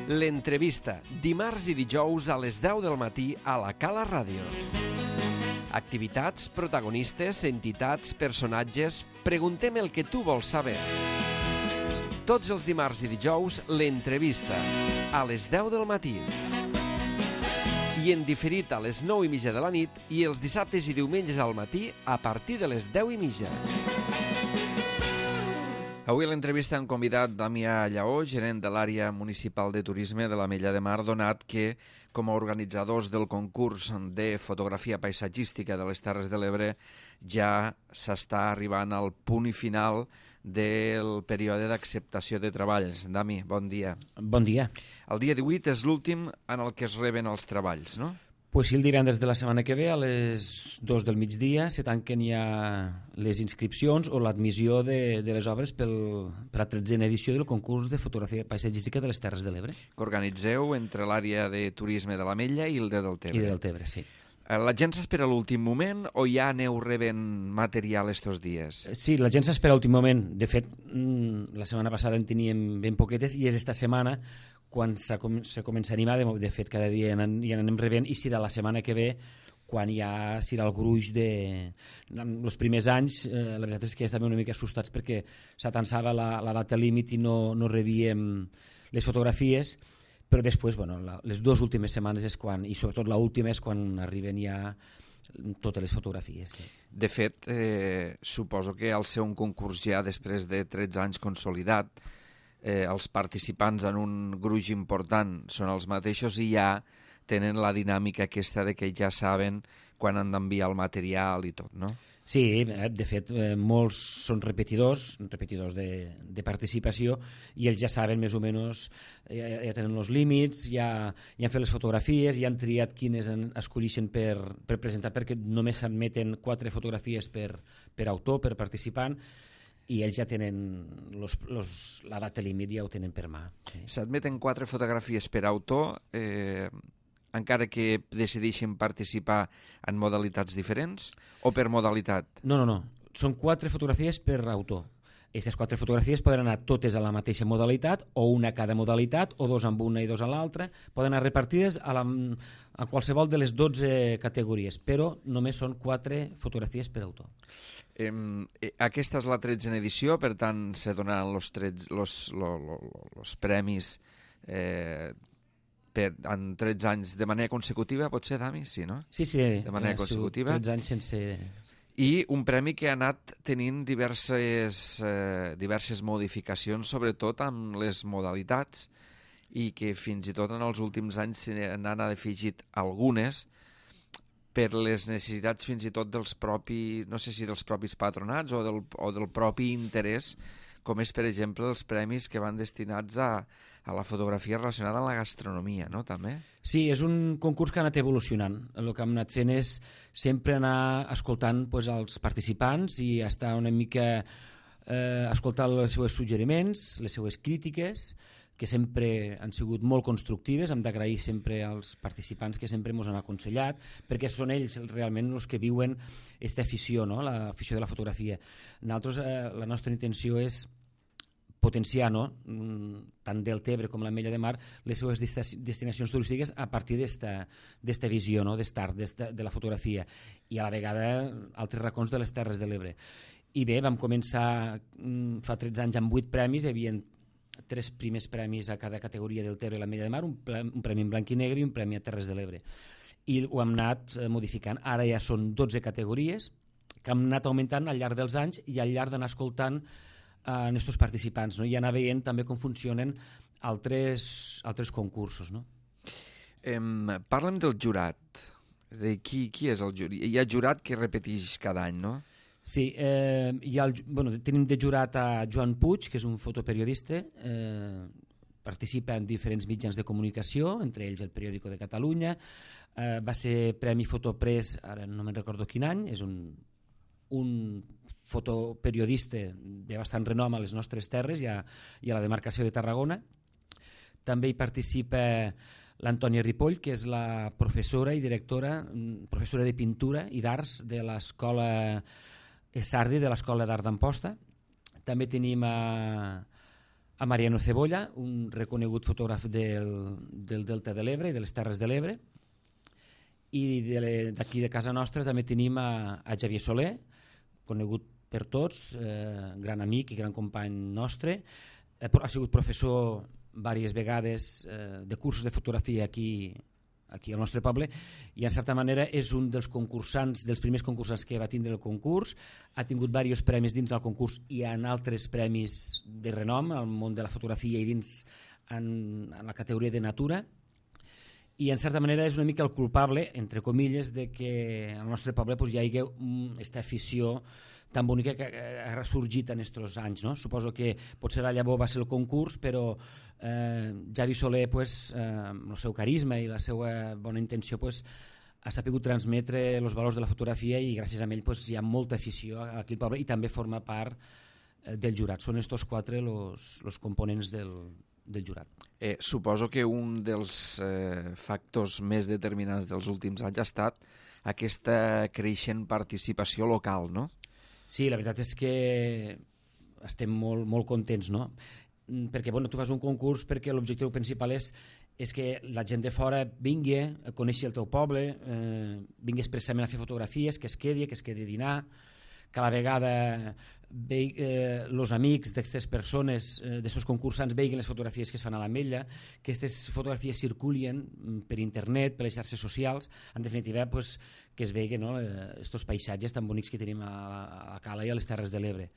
L'entrevista, dimarts i dijous a les 10 del matí a la Cala Ràdio. Activitats, protagonistes, entitats, personatges... Preguntem el que tu vols saber. Tots els dimarts i dijous, l'entrevista, a les 10 del matí. I en diferit a les 9:30 de la nit i els dissabtes i diumenges al matí a partir de les 10:30. Avui a l'entrevista han convidat Damià Lleó, gerent de l'àrea municipal de turisme de l'Ametlla de Mar, donat que, com a organitzadors del concurs de fotografia paisatgística de les Terres de l'Ebre, ja s'està arribant al punt i final del període d'acceptació de treballs. Dami, bon dia. Bon dia. El dia 18 és l'últim en el que es reben els treballs, no? Pues sí, el divendres de la setmana que ve a les 2 del migdia se tanquen ja les inscripcions o l'admissió de les obres per la 13a edició del concurs de fotografia paisatgística de les Terres de l'Ebre. Que organitzeu entre l'àrea de turisme de l'Ametlla i el de Deltebre. I de Deltebre, sí. La gent s'espera a l'últim moment o ja aneu rebent material estos dies? Sí, la gent s'espera a l'últim moment. De fet, la setmana passada en teníem ben poquetes i és esta setmana quan se comença a animar. De fet, cada dia ja anem rebent i serà la setmana que ve quan ja serà el gruix de... Els primers anys, la veritat és que estàvem una mica assustats perquè s'atansava la data límit i no rebíem les fotografies, però després, bueno, les dues últimes setmanes és quan, i sobretot l'última és quan arriben ja totes les fotografies. Sí. De fet, suposo que al ser un concurs ja després de 13 anys consolidat, els participants en un gruix important són els mateixos i ja tenen la dinàmica aquesta de que ja saben quan han d'enviar el material i tot, no? Sí, de fet, molts són repetidors de participació i ells ja saben més o menys, ja tenen els límits, ja han fet les fotografies, ja han triat quines escolleixen per presentar, perquè només s'admeten 4 fotografies per autor, per participant, i ells ja tenen la data límit, ja ho tenen per mà. Sí. S'admeten 4 fotografies per autor, encara que decideixin participar en modalitats diferents o per modalitat? No. Són 4 fotografies per autor. Aquestes 4 fotografies poden anar totes a la mateixa modalitat o una a cada modalitat o 2 amb una i 2 amb l'altra. Poden anar repartides a qualsevol de les 12 categories, però només són 4 fotografies per autor. Aquesta és la 13a edició, per tant se donaran els premis en 13 anys de manera consecutiva, pot ser, Dami? Sí, no? Sí, de manera consecutiva. 13 anys sense... I un premi que ha anat tenint diverses modificacions, sobretot amb les modalitats, i que fins i tot en els últims anys se n'han afegit algunes per les necessitats fins i tot dels propis, no sé si dels propis patronats o del propi interès, com és, per exemple, els premis que van destinats a la fotografia relacionada amb la gastronomia, no?, també? Sí, és un concurs que ha anat evolucionant. El que hem anat fent és sempre anar escoltant els participants i estar una mica escoltant els seus suggeriments, les seues crítiques, que sempre han sigut molt constructives. Hem d'agrair sempre als participants que sempre ens han aconsellat, perquè són ells realment els que viuen aquesta afició, no?, l'afició de la fotografia. Nosaltres, la nostra intenció és potenciar, no?, tant Deltebre com l'Ametlla de Mar, les seves destinacions turístiques a partir d'esta visió, no?, de la fotografia, i a la vegada altres racons de les Terres de l'Ebre. I bé, vam començar fa 13 anys amb 8 premis, hi havia 3 primers premis a cada categoria del Deltebre i l'Ametlla de Mar, un premi en blanc i negre i un premi a Terres de l'Ebre. I ho hem anat modificant. Ara ja són 12 categories que hem anat augmentant al llarg dels anys i al llarg d'anar escoltant a aquests participants, no? I anar veient també com funcionen altres concursos, no? Parla'm del jurat. És a dir, qui és el jurat? Hi ha jurat que repeteix cada any, no? Sí, tenim de jurat a Joan Puig, que és un fotoperiodista, participa en diferents mitjans de comunicació, entre ells el Periòdico de Catalunya, va ser Premi Fotopress, ara no me'n recordo quin any, és un fotoperiodista de bastant renom a les nostres terres i a la demarcació de Tarragona. També hi participa l'Antònia Ripoll, que és la professora i directora, professora de pintura i d'arts de l'escola Sardi, de l'Escola d'Art d'Amposta. També tenim a Mariano Cebolla, un reconegut fotògraf del Delta de l'Ebre i de les Terres de l'Ebre, i d'aquí de casa nostra també tenim a Xavier Soler, conegut per tots, gran amic i gran company nostre, ha sigut professor diverses vegades de cursos de fotografia aquí al nostre poble, i en certa manera és un dels concursants, dels primers concursants que va tindre el concurs. Ha tingut diversos premis dins del concurs i en altres premis de renom al món de la fotografia i dins en la categoria de natura, i en certa manera és una mica el culpable, entre comilles, de que al nostre poble hi hagi aquesta afició tan bonica que ha ressorgit en aquests anys, no? Suposo que potser la llavor va ser el concurs, però Xavi Soler, amb el seu carisma i la seva bona intenció, ha sabut transmetre els valors de la fotografia, i gràcies a ell hi ha molta afició aquí al poble, i també forma part del jurat. Són estos quatre els components del jurat. Suposo que un dels factors més determinants dels últims anys ha estat aquesta creixent participació local, no? Sí, la veritat és que estem molt contents, no? Perquè tu fas un concurs perquè l'objectiu principal és que la gent de fora vingui a conèixer el teu poble, vingui expressament a fer fotografies, que es quedi a dinar, que a la vegada els amics d'aquestes persones, d'aquests concursants, veiguin les fotografies que es fan a l'Ametlla, que aquestes fotografies circulin per internet, per les xarxes socials, en definitiva que es veguin aquests paisatges tan bonics que tenim a la Cala i a les Terres de l'Ebre.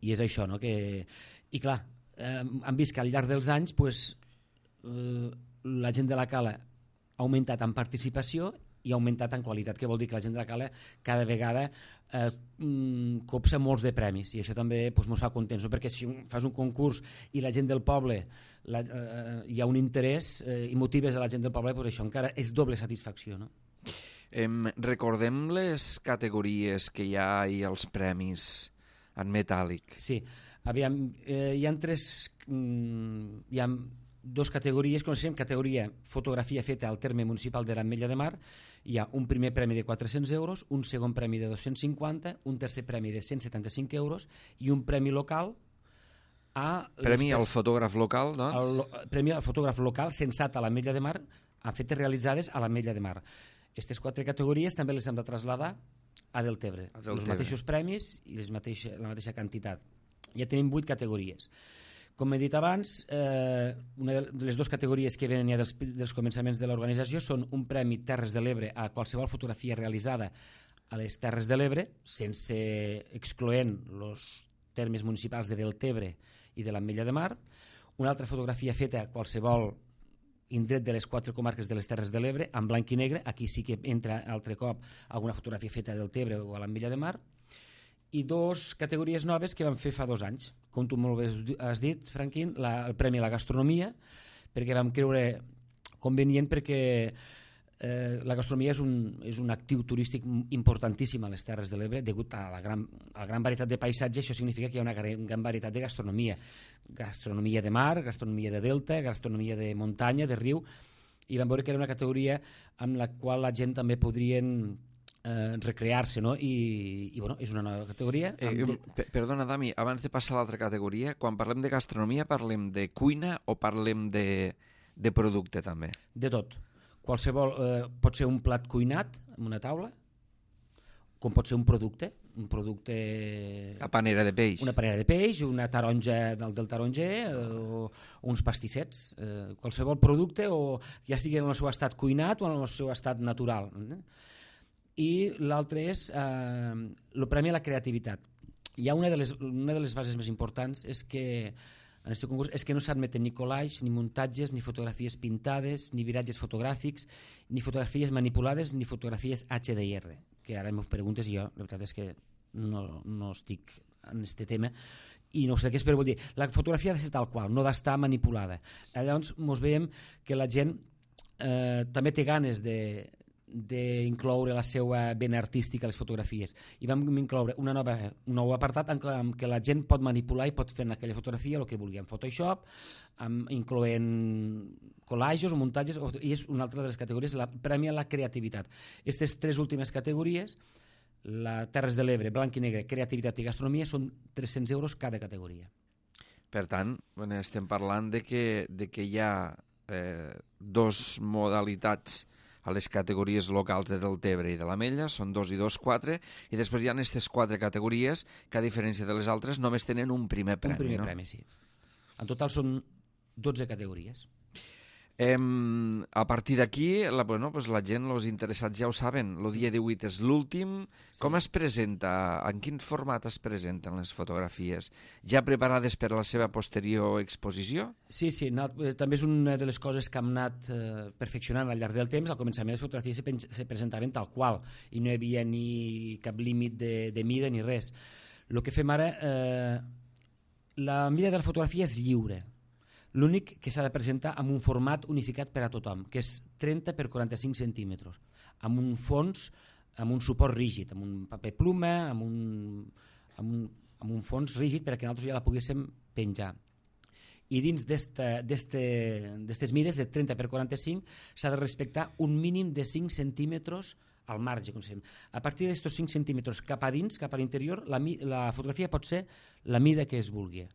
I és això, no? I clar, hem vist que al llarg dels anys la gent de la Cala ha augmentat en participació i ha augmentat en qualitat, que vol dir que la gent de la Cala cada vegada copsa molts de premis, i això també ens fa contents, perquè si fas un concurs i la gent del poble hi ha un interès i motives a la gent del poble, això encara és doble satisfacció, no? Recordem les categories que hi ha i els premis en metàl·lic. Sí, aviam, hi ha dues categories, coneixem categoria fotografia feta al terme municipal de l'Ametlla de Mar. Hi ha un primer premi de 400 euros, un segon premi de 250, un tercer premi de 175 euros i un premi local Premi al fotògraf local, doncs? Premi al fotògraf local censat a l'Ametlla de Mar, amb fetes realitzades a l'Ametlla de Mar. Aquestes quatre categories també les hem de traslladar a Deltebre, els mateixos premis i la mateixa quantitat. Ja tenim 8 categories. Com he dit abans, una de les dues categories que venen ja dels començaments de l'organització són un premi Terres de l'Ebre a qualsevol fotografia realitzada a les Terres de l'Ebre, sense excloent els termes municipals de Deltebre i de l'Ametlla de Mar, una altra fotografia feta a qualsevol indret de les 4 comarques de les Terres de l'Ebre, en blanc i negre, aquí sí que entra altre cop alguna fotografia feta a Deltebre o a l'Ametlla de Mar, i 2 categories noves que vam fer fa 2 anys. Com tu molt bé has dit, Franquín, el Premi a la Gastronomia, perquè vam creure convenient, perquè la gastronomia és un actiu turístic importantíssim a les Terres de l'Ebre, degut a la gran varietat de paisatges. Això significa que hi ha una gran varietat de gastronomia. Gastronomia de mar, gastronomia de delta, gastronomia de muntanya, de riu, i vam veure que era una categoria amb la qual la gent també podrien recrear-se, no? I és una nova categoria. Perdona, Dami, abans de passar a l'altra categoria, quan parlem de gastronomia parlem de cuina o parlem de producte també? De tot. Qualsevol, pot ser un plat cuinat en una taula, com pot ser un producte. La panera de peix. Una panera de peix, una taronja del taronger, o uns pastissets. Qualsevol producte, o ja sigui en el seu estat cuinat o en el seu estat natural. I l'altre és el premi a la creativitat. Hi ha una de les bases més importants és que en aquest concurs és que no s'admeten ni collages, ni muntatges, ni fotografies pintades, ni viratges fotogràfics, ni fotografies manipulades, ni fotografies HDR, que ara em preguntes i jo, la veritat és que no estic en aquest tema i no sé què és, però vull dir, la fotografia ha de ser tal qual, no d'estar manipulada. Llavors ens veiem que la gent també té ganes d'incloure la seva vena artística a les fotografies, i vam incloure un nou apartat en què la gent pot manipular i pot fer en aquella fotografia el que vulgui, en Photoshop, incloent collages o muntatges, i és una altra de les categories, premia la creativitat. Aquestes 3 últimes categories, la Terres de l'Ebre, blanc i negre, creativitat i gastronomia, són 300 euros cada categoria. Per tant, estem parlant de que hi ha dos modalitats a les categories locals de Deltebre i de l'Ametlla, són 2 i 2, 4, i després hi ha aquestes 4 categories que, a diferència de les altres, només tenen un primer premi. Un primer premi, sí. En total són 12 categories. A partir d'aquí, la gent, els interessats ja ho saben, el dia 18 és l'últim. Sí. Com es presenta? En quin format es presenten les fotografies? Ja preparades per a la seva posterior exposició? Sí, també és una de les coses que hem anat perfeccionant al llarg del temps. Al començament les fotografies se presentaven tal qual i no hi havia ni cap límit de mida ni res. El que fem ara, la mida de la fotografia és lliure. L'únic que s'ha de presentar amb un format unificat per a tothom, que és 30 per 45 centímetres, amb un fons, amb un suport rígid, amb un paper pluma, amb un fons rígid perquè nosaltres ja la poguéssim penjar. I dins d'aquestes mides de 30 per 45 s'ha de respectar un mínim de 5 centímetres al marge. A partir d'aquests 5 centímetres cap a dins, cap a l'interior, la fotografia pot ser la mida que es vulgui.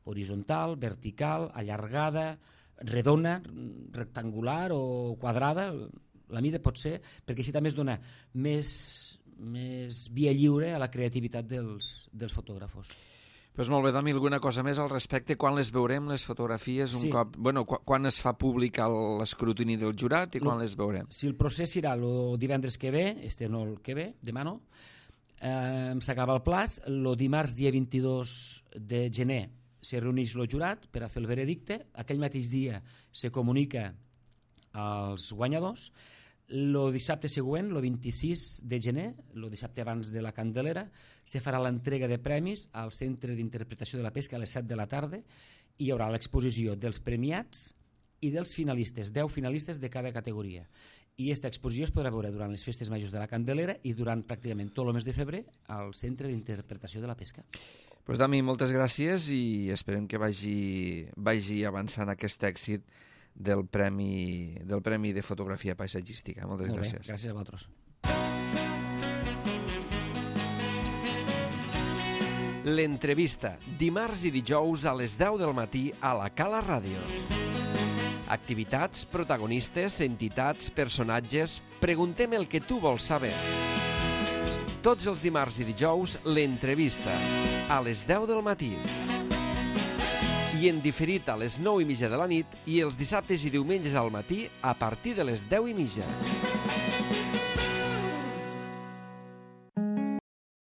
Horitzontal, vertical, allargada, redona, rectangular o quadrada, la mida pot ser, perquè així també es dona més via lliure a la creativitat dels fotògrafos. Doncs molt bé, Dami, alguna cosa més al respecte? Quan les veurem, les fotografies, un cop... Quan es fa públic l'escrutini del jurat i quan les veurem? Si el procés serà el divendres que ve, no el que ve, demà no, s'acaba el plaç, el dimarts dia 22 de gener se reuneix el jurat per a fer el veredicte, aquell mateix dia se comunica als guanyadors, el dissabte següent, el 26 de gener, el dissabte abans de la Candelera, se farà l'entrega de premis al Centre d'Interpretació de la Pesca a les 7 de la tarda i hi haurà l'exposició dels premiats i dels finalistes, 10 finalistes de cada categoria. I aquesta exposició es podrà veure durant les festes majors de la Candelera i durant pràcticament tot el mes de febrer al Centre d'Interpretació de la Pesca. Doncs, Dami, moltes gràcies i esperem que vagi avançant aquest èxit del Premi de Fotografia Paisatgística. Moltes gràcies. Bé, gràcies a vosaltres. L'entrevista, dimarts i dijous a les 10 del matí a la Cala Ràdio. Activitats, protagonistes, entitats, personatges... Preguntem el que tu vols saber. Tots els dimarts i dijous, l'entrevista, a les 10 del matí. I en diferit a les 9:30 de la nit i els dissabtes i diumenges al matí a partir de les 10:30.